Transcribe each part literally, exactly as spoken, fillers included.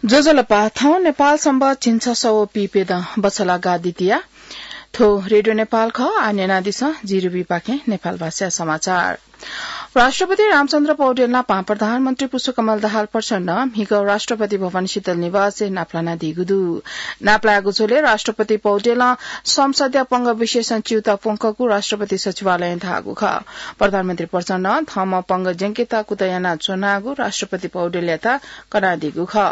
ज्वजलपा, थौं नेपाल संवत् झिंछसः व पीप्यदँ बछलागा द्वितीया। थ्व रेडियो नेपाल खः। आः न्यनादिसँ, जि रुबीपाखें नेपाल भाषाया समाचार। राष्ट्रपति रामचन्द्र पौडेल नाप प्रधानमन्त्री पुष्पकमल दाहाल प्रचण्डं म्हिगः राष्ट्रपति भवन शीतल निवासय् नापलानादीगु दु। नापलायेगु झ्वलय् राष्ट्रपति पौडेलं संसदया पंगः विशेषं च्यूताः प्वंकूगु राष्ट्रपति सचिवालयं धाःगु खः। प्रधानमन्त्री प्रचण्डं थःम्हं पंगः ज्यंकेत कुतः यानाच्वनागु राष्ट्रपति पौडेलयात कनादीगु खः।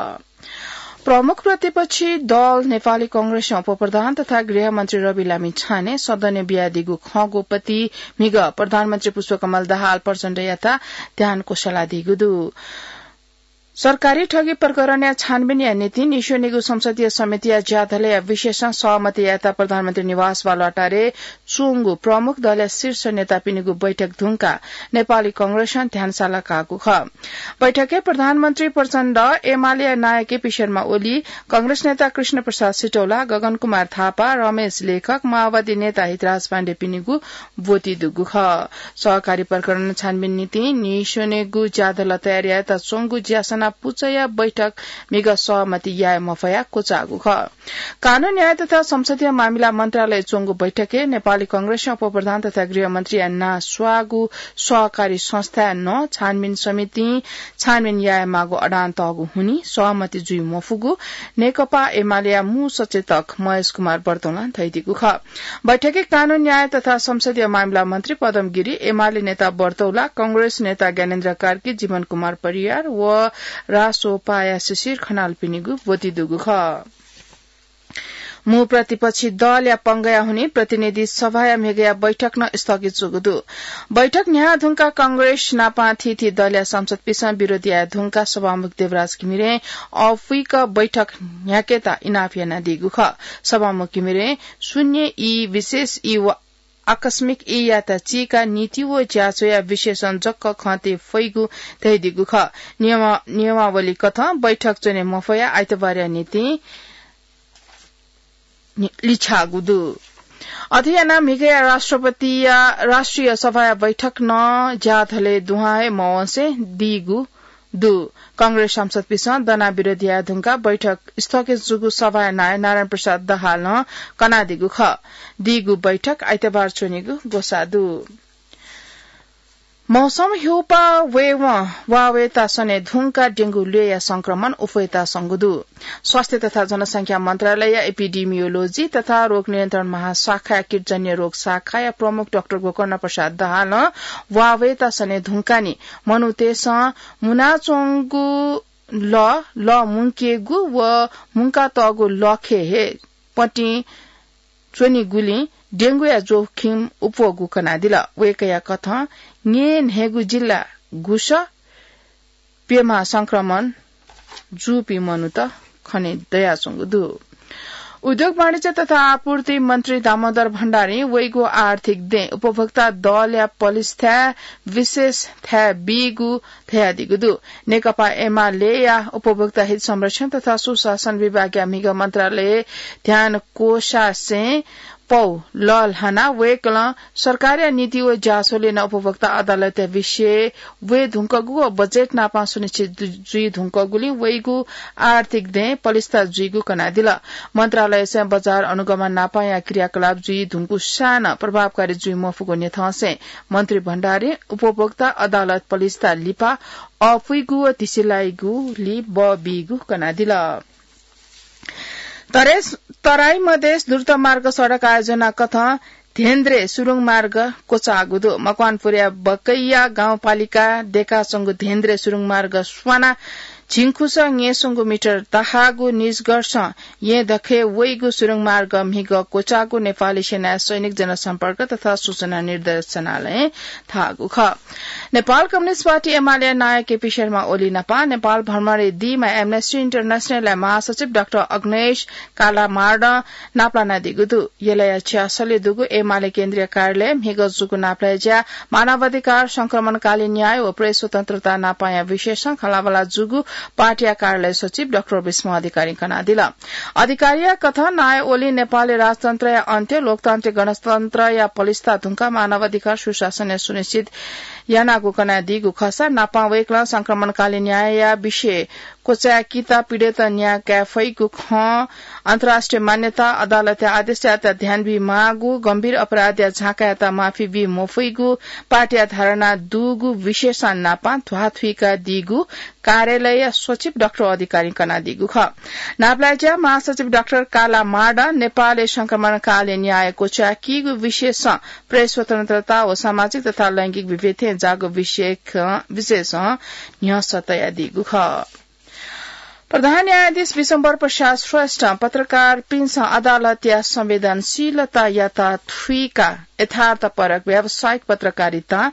प्रमुख प्रतिपक्षी दल नेपाली कांग्रेसं उपप्रधान तथा गृहमन्त्री रवि लामिछाने सदनय् बियादीगु खँग्वःपति म्हिगः प्रधानमन्त्री पुष्पकमल दाहाल प्रचण्डयात ध्यान क्वसलादीगु दु। सरकारी ठगी प्रकरणया छानबिनया निंतिं न्हिस्वनीगु संसदीय समितिया ज्याझ्वलय् विशेषं सहमति यायेत प्रधानमन्त्री निवास बालुवाटारय् च्वंगु प्रमुख दलया शीर्ष नेतापिनिगु बैठक धुंकाः नेपाली कांग्रेसं ध्यान सालाकाःगु खः। बैठकय् प्रधानमन्त्री प्रचण्ड, एमालेया नायः केपी शर्मा ओली, कांग्रेस नेता कृष्ण प्रसाद सिटौला, गगन कुमार थापा, रमेश लेखक, माओवादी नेता हितराज पाण्डेपिनिगु ब्वति दुगु खः। सहकारी प्रकरण छानबिन निंतिं न्हिस्वनेगु ज्याझ्वलय् तयार यायेत च्वंगु ज्यासना पुचःया बैठक म्हिगः सहमति याये मफयाः क्वचाःगु खः। कानून न्याय तथा संसदीय मामिला मन्त्रालयय् च्वंगु बैठकय् नेपाली कांग्रेसं उपप्रधान तथा गृहमन्त्रीया नां स्वाःगु सहकारी संस्थाया नं छानबिन समितिं छानबिन यायेमाःगु अडान तःगु हुनिं सहमति जुइ मफुगु नेकपा एमालेया मू सचेतक महेश कुमार बर्तौलां धयादीगु खः। बैठकय् कानून न्याय तथा संसदीय मामिला मन्त्री पदम गिरी, एमाले नेता बर्तौला, कांग्रेस नेता ज्ञानेन्द्र कार्की, जीवन कुमार परियार व रासोपाया शिशिर खनालपिनिगु ब्वति दुगु खः। मू प्रतिपक्षी दलया पंगःया हुनिं प्रतिनिधि सभाया म्हिगःया बैठक नं स्थगित जूगु दु। बैठक न्ह्याः धुंकाः कांग्रेस नाप थीथी दलया सांसदपिसं विरोध याये धुंकाः सभामुख देवराज घिमिरें अःपुइक बैठक न्ह्याकेत इनाप यानादीगु खः। सभामुख घिमिरें शून्य ई, विशेष ई व आकस्मिक ईयात चीकाः नीति व ज्याझ्वःया विशेषं जक खँ तये फइगु धयादीगु खः। नियमा-, नियमावली कथं बैठक च्वने मफयाः आइतबारया निंतिं नि-, लिछ्याःगु दु। अथे यानाः म्हिगःया राष्ट्रपतिया राष्ट्रिय सभाया बैठक नं ज्याझ्वलय् दुहां हे मवंसे दीगु दु। कांग्रेस सांसदपिसं दनाः विरोध याये धुंकाः बैठक स्थगित जूगु सभाया नायः नारायण प्रसाद दाहालं कनादीगु खः। दीगु बैठक आइतबार च्वनेगु ग्वसाः दु। मौसम ह्यूपाः वयेवं वा वयेत सने धुंकाः डेंगु ल्वय्‌या संक्रमण उफयेत संगु दु। स्वास्थ्य तथा जनसंख्या मन्त्रालयया एपिडेमियोलोजी तथा रोग नियन्त्रण महाशाखाया कीटजन्य रोग शाखाया प्रमुख डाक्टर गोकर्ण प्रसाद दाहालं वा वयेत सने धुंकाः नि मनूतय्‌सं मुनाच्वंगु लः, लः मुंकेगु व मुंकातःगु लःखय् हे पतिं च्वनीगुलिं डेंगुया जोखिम उप्वःगु कनादिल। वय्‌कःया कथं न्यय् न्हय्‌गू जिल्ला गुस प्यम्ह संक्रमण जूपिं मनूत खने दयाच्वंगु दु। उद्योग वाणिज्य तथा आपूर्ति मन्त्री दामोदर भण्डारीं वइगु आर्थिक दँय् उपभोक्ता दलया पलिस्थाय् विशेष थाय् बीगु धयादीगु दु। नेकपा एमालेया उपभोक्ता हित संरक्षण तथा सुशासन विभागया म्हिगः मन्त्रालयय् ध्यान क्वसासें पौ लःल्हानाः वय्‌कलं सरकारया नीति व ज्याझ्वलय् नं उपभोक्ता अदालतया विषय वये धुंकूगु व बजेट नापं सुनिश्चित जु-, जुइ धुंकूगुलिं वइगु आर्थिक दँय् पलिस्था जुइगु कनादिल। मन्त्रालयसं बजार अनुगमन नापंया क्रियाकलाप जुइ धुंकूसां नं प्रभावकारी जुइ मफुगु न्ह्यथंसें मन्त्री भण्डारीं उपभोक्ता अदालत पलिस्था लिपा अःपुइगु व तिसिलाइगुली बः बीगु कनादिल। तरे-, तराई मधेस द्रुतमार्ग सडक आयोजना कथं धेन्द्रे सुरुङ मार्ग क्वचाःगु दु। मकवानपुरया बकैया गाउँपालिका देकाच्वंगु धेन्द्रे सुरुङ मार्ग स्वानाः झिंखुसः न्यय्‌संगु मिटर दाहाःगु निजगढसं येँ दखय् वइगु सुरुङ मार्ग म्हिगः क्वचाःगु नेपाली सेनाया सैनिक जनसम्पर्क तथा सूचना निर्देशनालयं धाःगु खः। नेपाल कम्युनिस्ट पार्टी एमालेया नायः केपी शर्मा ओली नापं नेपाल भ्रमणय् दीम्ह Amnesty Internationalया महासचिव डाक्टर अग्नेश कालामार्डं नापलानादीगु दु। यलया छ्यासलय् दुगु एमाले केन्द्रीय कार्यालयय् म्हिगः जूगु नापलाये ज्याय् मानवाधिकार, संक्रमणकालीन न्याय व प्रेस स्वतन्त्रता नापंया विषयसं खँल्हाबल्हा जूगु पार्टीया कार्यालय सचिव डाक्टर विष्णु अधिकारीं कनादिल। अधिकारीया कथं नायः ओलीं नेपालय् राजतन्त्रया अन्त्य, लोकतान्त्रिक गणतन्त्रया पलिस्था धुंकाः मानवाधिकार सुशासनया सुनिश्चित यानागु कनादीगु खःसा नापं वय्कलं संक्रमणकालीन न्यायया विषय क्वचाय् किता पीडित न्याय काये फइगु खँ अन्तर्राष्ट्रिय मान्यता अदालतया आदेशयात ध्यान बी माःगु, गम्भीर अपराधया झाँकायात माफी बी मफइगु पार्टीया धारणा दुगु विषयसं नापं ध्वाथुइकादीगु कार्यालयया सचिव डाक्टर अधिकारीं कनादीगु खः। नापलाय् ज्या महासचिव डाक्टर काला माडं नेपालय् संक्रमणकालीन न्याय क्वचाय् कीगु विषयसं प्रेस स्वतन्त्रता व सामाजिक तथा लैंगिक विभेदय् जाःगु विषय ख-, विषयसं न्ह्यसः तयादीगु खः। प्रधान न्यायाधीश विश्वम्भर प्रसाद श्रेष्ठं पत्रकारपिन्सं अदालतया संवेदनशीलतायात थुइकाः यथार्थपरक व्यावसायिक पत्रकारितां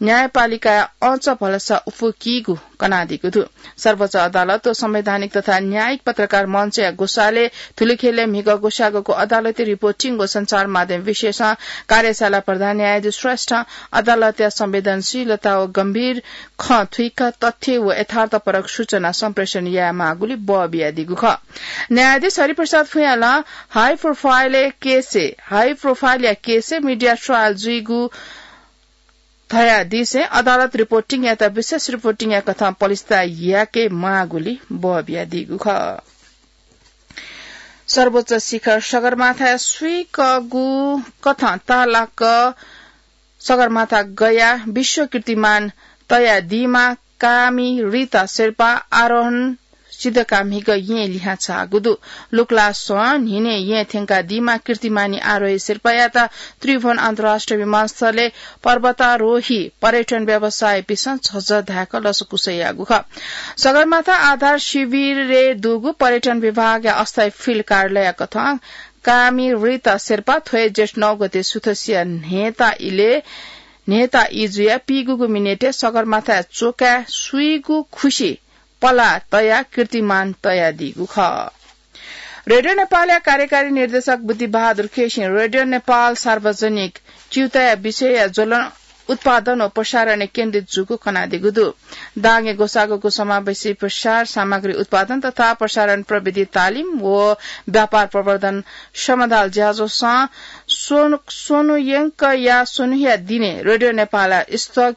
न्यायपालिकाया अँच भलसा उफुकीगु कनादीगु दु। सर्वोच्च अदालत व संवैधानिक तथा न्यायिक पत्रकार मञ्चया ग्वसालय् थुलिखय्‌लय् म्हिगः ग्वसाःगुको अदालती रिपोर्टिङ व सञ्चार माध्यम विषयसं कार्यशाला प्रधान न्यायाधीश श्रेष्ठं अदालतया संवेदनशीलता व गम्भीर खँ थुइकाः तथ्य व यथार्थपरक सूचना सम्प्रेषण यायेमाःगुलिं बः बियादीगु खः। न्यायाधीश हरिप्रसाद फुयाँलं हाई प्रोफाइलया केसय्, हाई प्रोफाइलया केसय् मिडिया ट्रायल जुइगु धयादिसें अदालत रिपोर्टिङयात विशेष रिपोर्टिङया कथं पलिस्था याकेमाःगुलिं बः बियादीगु खः। सर्वोच्च शिखर सगरमाथाय् सुइकःगु कथं ताःलाक सगरमाथा गया विश्व कीर्तिमान तयादीमा कामी रिता शेर्पा आरोहण सिधकाः म्हिगः येँ लिहां झाःगु दु। लुक्लासं न्हिनय् येँ थ्यंकादीमा कीर्तिमानी आरोही शेर्पायात त्रिभुवन अन्तर्राष्ट्रिय विमानस्थलय् पर्वतारोही पर्यटन व्यवसायीपिन्सं झःझः धाय्क लसकुस याःगु खः। सगरमाथा आधार शिविरय् दुगु पर्यटन विभागया अस्थायी फिल्ड कार्यालयया कथं कामी रिता शेर्पा थ्व हे जेठ नौ गते सुथसिया न्हय्ता इलय्, न्हय्ता इजुया पीगूगु मिनेटय् सगरमाथाय् च्वकाय् सुइगु खुसि पलाः तयाः कीर्तिमान तयादीगु खः। रेडियो नेपालया कार्यकारी निर्देशक बुद्धिबहादुर केसीं रेडियो नेपाल सार्वजनिक च्यूताया विषयया ज्वलं उत्पादन व प्रसारणय् केन्द्रित जूगु कनादीगु दु। दाङय् ग्वसाःगु समावेशी प्रसार सामग्री उत्पादन तथा प्रसारण प्रविधि तालिम व व्यापार प्रवर्धन समाधाल ज्याझ्वलं स्वनु-, स्वन्हुयंकया स्वन्हुया दिनय् रेडियो नेपाल स्थ-,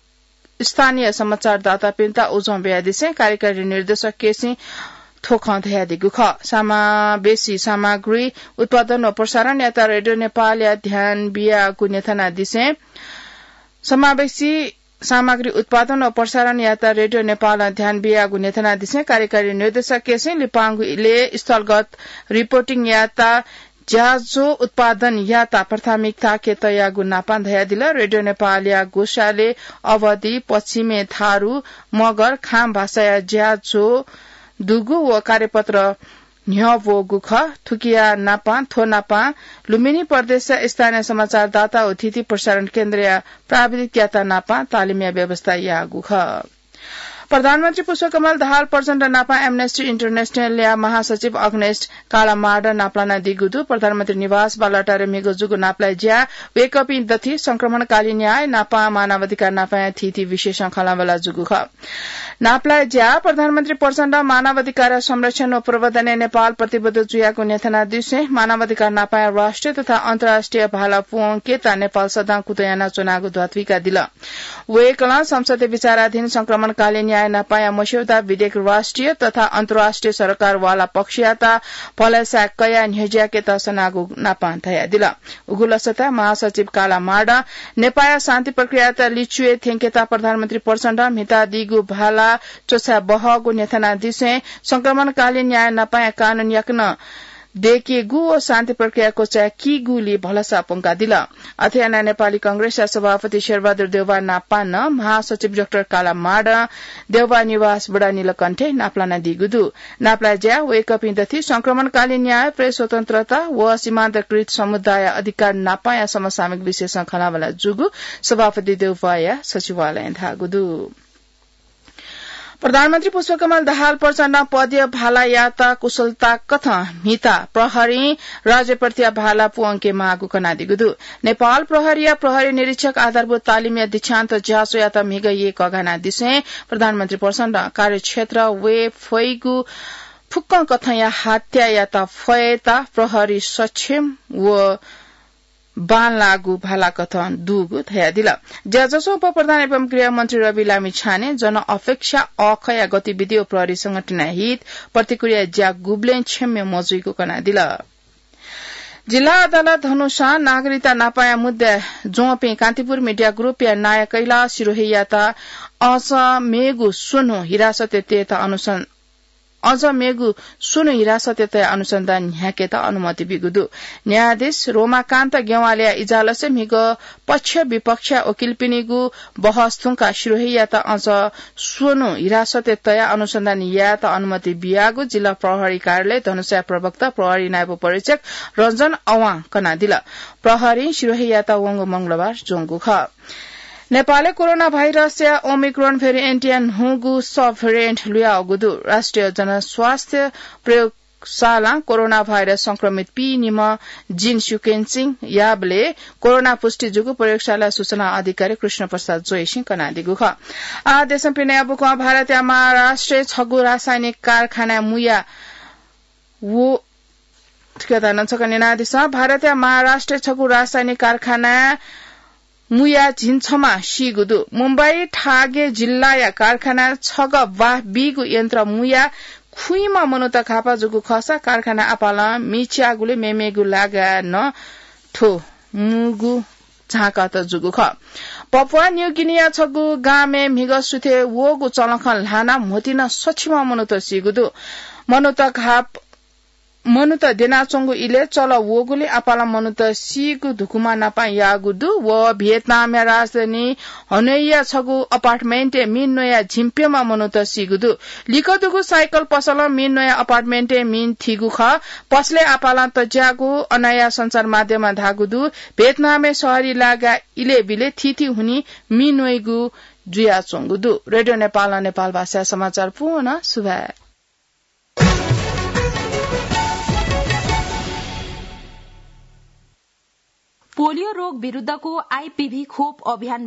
स्थानीय समाचारदातापिन्त उजं बियादिसें कार्यकारी निर्देशक केसीं थ्व खँ धयादीगु खः। समावेशी सामग्री उत्पादन व प्रसारणयात रेडियो नेपालया ध्यान बियागु न्ह्यथनादिसें समावेशी सामग्री उत्पादन व प्रसारणयात रेडियो नेपालं ध्यान बियागु न्ह्यथनादिसें कार्यकारी निर्देशक केसीं लिपांगु इलय् स्थलगत रिपोर्टिङयात ज्याझ्वः उत्पादनयात प्राथमिकताके तयागु नापां धयादिल। रेडियो नेपालया ग्वसालय् अवधी, पश्चिमे थारु, मगर, खाम भाषाया ज्याझ्वः दुगु व कार्यपत्र न्ह्यब्वःगु खः। थुकिया नापां, थ्व नापां लुम्बिनी प्रदेशया स्थानीय समाचारदाता व थीथी प्रसारण केन्द्रया प्राविधिकयात नापां तालिमया व्यवस्था याःगु खः। प्रधानमन्त्री पुष्पकमल दाहाल प्रचण्ड नापां Amnesty International-या महासचिव अग्नेस कालामाडं नापलानादीगु दु। प्रधानमन्त्री निवास बालुवाटारय् म्हिगः जूगु नापलाये ज्याय् वय्कःपिं दथुइ संक्रमणकालीन न्याय नापां मानवाधिकार नापांया थीथी विषयसं खँल्हाबल्हा जूगु खः। नापलाये ज्याय् प्रधानमन्त्री प्रचण्डं मानवाधिकारया संरक्षण व प्रवर्धनय् नेपाल प्रतिबद्ध जुयागु न्ह्यथनादिसें मानवाधिकार नापांया राष्ट्रिय तथा अन्तर्राष्ट्रिय भाला पूवंकेत नेपाल सदां कुतः यानाच्वनागु ध्वाथुइकादिल। वय्कलं संसदय् विचाराधीन संक्रमणकालीन न्याय नापांया मस्यौदा विधेयक राष्ट्रिय तथा अन्तर्राष्ट्रिय सरकारवाला पक्षयात भलसा कयाः न्ह्यज्याकेत सनागु नापां धयादिल। उगु लसताय् महासचिव कालामाडं नेपाःया शान्ति प्रक्रियायात लिच्वय् थ्यंकेत प्रधानमन्त्री प्रचण्डं म्हितादीगु भाला च्वछाये बहःगु न्ह्यथनादिसें संक्रमणकालीन न्याय नापांया कानून याकनं दय्केगु व शान्ति प्रक्रिया क्वचाय् कीगुलि भलसा प्वंकादिल। अथे यानाः नेपाली कांग्रेसया सभापति शेरबहादुर देउवा नापां नं महासचिव डाक्टर कालामाडं देउवा निवास बुढानीलकण्ठय् नापलानादीगु दु। नापलाये ज्याय् वय्कःपिं दथुइ संक्रमणकालीन न्याय, प्रेस स्वतन्त्रता व सीमान्तकृत समुदाय अधिकार नापांया समसामयिक विषयसं खँल्हाबल्हा जूगु सभापति देउवाया सचिवालयं धाःगु दु। प्रधानमन्त्री पुष्पकमल दाहाल प्रचण्डं पदीय भालायात कुशलता कथं म्हिता प्रहरीं राज्यप्रतिया भाला पूवंके माःगु कनादीगु दु। नेपाल प्रहरीया प्रहरी निरीक्षक आधारभूत तालिमया दीक्षान्त ज्याझ्वःयात म्हिगः यय् कःघानादिसें प्रधानमन्त्री प्रचण्डं कार्यक्षेत्र वये फइगु फुक्कं कथंया हत्यायात फयेत प्रहरी सक्षम व बांलाःगु भालाकथं दुगु धयादिल। ज्याझ्वः उप प्रधान एवं गृहमन्त्री रवि लामिछाने जनअपेक्षा अःखया गतिविधि व प्रहरी संगठनया हित प्रतिक्रिया ज्या गुबलें क्षम्य मजुइगु कनादिल। जिल्ला अदालत धनुषां नागरिकता नापाया मुद्दा ज्वंपिं कान्तिपुर मिडिया ग्रुपया नायः कैलाश सिरोहीयात अझ मेगु स्वन्हु हिरासतय् तयेत अनुसन्धान अझ मेगु स्वन्हु हिरासतय् तयाः अनुसन्धान न्ह्याकेत अनुमति बीगु दु। न्यायाधीश रोमाकान्त गेवालया इजलासय् म्हिगः पक्ष विपक्षया वकिलपिनिगु बहस थुंकाः सिरोहीयात अझ स्वन्हु हिरासतय् तयाः अनुसन्धान यायेत अनुमति बियागु जिल्ला प्रहरी कार्यालय धनुषाया प्रवक्ता प्रहरी नायब उपरीक्षक रञ्जन अवां कनादिल। प्रहरीं सिरोहीयात वंगु मंगलबार ज्वंगु खः। नेपालय् कोरोना भाइरसया ओमिक्रोन भेरिएन्टया न्हूगु सब भेरिएन्ट लुयावःगु दु। राष्ट्रिय जनस्वास्थ्य प्रयोगशालां कोरोना भाइरस संक्रमित पीनिम्ह gene sequencing याःबलय् कोरोना पुष्टि जूगु प्रयोगशाला सूचना अधिकारी कृष्ण प्रसाद जोशीं कनादीगु खः। आ, देशं पिने अबुकं भारतया महाराष्ट्रय् छगू रासायनिक कारखानाय् मुया व, थुकियात नं छकः न्यनादिसँ। भारतया महाराष्ट्रय् छगू रासायनिक कारखानाय् मुया झिंछम्ह सीगु दु। मुम्बई ठागे जिल्लाया कारखानाय् छगः वाफ बीगु यन्त्र मुया खुइम्ह मनूत घापा जूगु खःसा कारखाना आपालं मिच्याःगुलिं मेमेगु लागाय् नं थ्व मुगु झाँकात जूगु खः। पपुवा न्यू गिनिया छगू गामय् म्हिगः सुथय् वःगु चलखं ल्हानाः म्होतिं सछिम्ह मनूत सीगु दु। मनूत घाप मनूत द्यनाच्वंगु इलय् चल वःगुलिं आपालं मनूत सीगु धुकुमा नापं याःगु दु। व भियतनामया राजधानी हनोईया छगू अपार्टमेन्टय् मिन न्वयाः झिंप्यम्ह मनूत सीगु दु। लिक्क दुगु साइकल पसलं मिन न्वयाः अपार्टमेन्टय् मिन थीगु खः। पसलय् आपालं तज्याःगु अनया सञ्चार माध्यमं धाःगु दु। भियतनामय् शहरी लागा इलय् बिलय् थीथी हुनिं मिन न्वइगु जुयाच्वंगु दु। रेडियो नेपालं नेपाल भाषाया समाचार पूवं सुभाय्। पोलियो रोग विरुद्धको आइपिभी खोप अभियान